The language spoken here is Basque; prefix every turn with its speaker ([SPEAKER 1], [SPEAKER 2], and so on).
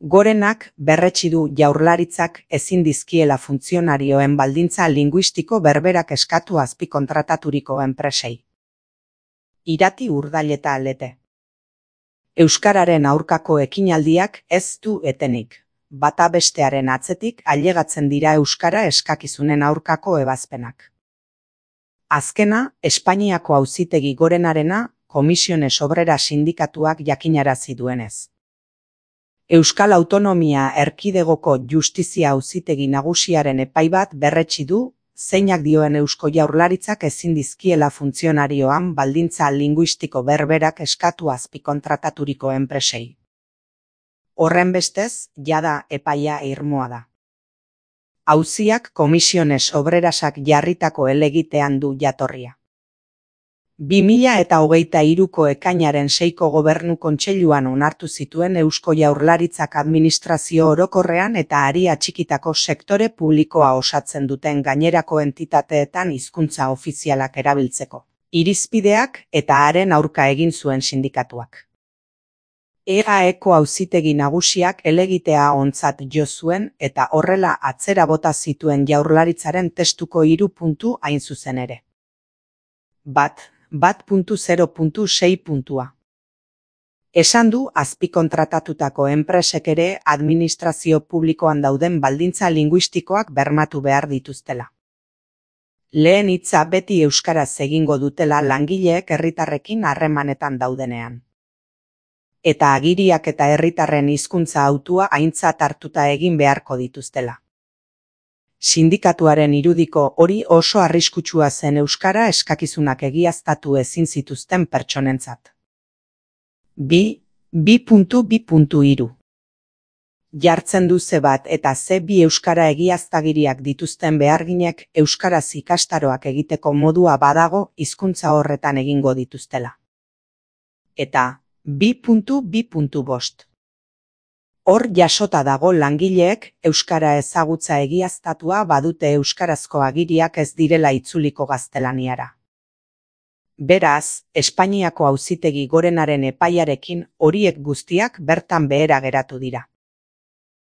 [SPEAKER 1] Gorenak berretsi du Jaurlaritzak ezin dizkiela funtzionarioen baldintza linguistiko berberak eskatu azpikontrataturiko enpresei. Irati Urdaileta Lete. Euskararen aurkako ekinaldiak ez du etenik. Bata bestearen atzetik ailegatzen dira euskara eskakizunen aurkako ebazpenak. Azkena, Espainiako Auzitegi Gorenarena, Komisiones Obrera sindikatuak jakinarazi duenez. Euskal Autonomia Erkidegoko Justizia Auzitegi Nagusiaren epai bat berretsi du, zeinak dioen Eusko Jaurlaritzak ezin dizkiela funtzionarioan baldintza linguistiko berberak eskatu azpikontrataturiko enpresei. Horrenbestez, jada epaia irmoa da. Auziak Komisiones Obrerasak jarritako helegitean du jatorria. 2023ko ekainaren 6ko Gobernu Kontseiluan onartu zituen Eusko Jaurlaritzak administrazio orokorrean eta ari atxikitako sektore publikoa osatzen duten gainerako entitateetan hizkuntza ofizialak erabiltzeko irizpideak eta haren aurka egin zuen sindikatuak. EAEko Auzitegi Nagusiak helegitea ontzat jo zuen eta horrela atzera bota zituen Jaurlaritzaren testuko 3 puntu hain zuzen ere. 1.0.6. Esan du azpikontratatutako enpresek ere administrazio publikoan dauden baldintza linguistikoak bermatu behar dituztela. Lehen hitza beti euskaraz egingo dutela langileek herritarrekin harremanetan daudenean. Eta agiriak eta herritarren hizkuntza hautua aintzat hartuta egin beharko dituztela. Sindikatuaren irudiko hori oso arriskutsua zen euskara eskakizunak egiaztatu ezin zituzten pertsonentzat. 2.2.3. Jartzen du ze bat eta ze bi euskara egiaztagiriak dituzten beharginek euskaraz ikastaroak egiteko modua badago hizkuntza horretan egingo dituztela. Eta 2.2.5. Hor jasota dago langileek euskara ezagutza egiaztatua badute euskarazko agiriak ez direla itzuliko gaztelaniara. Beraz, Espainiako Auzitegi Gorenaren epaiarekin horiek guztiak bertan behera geratu dira.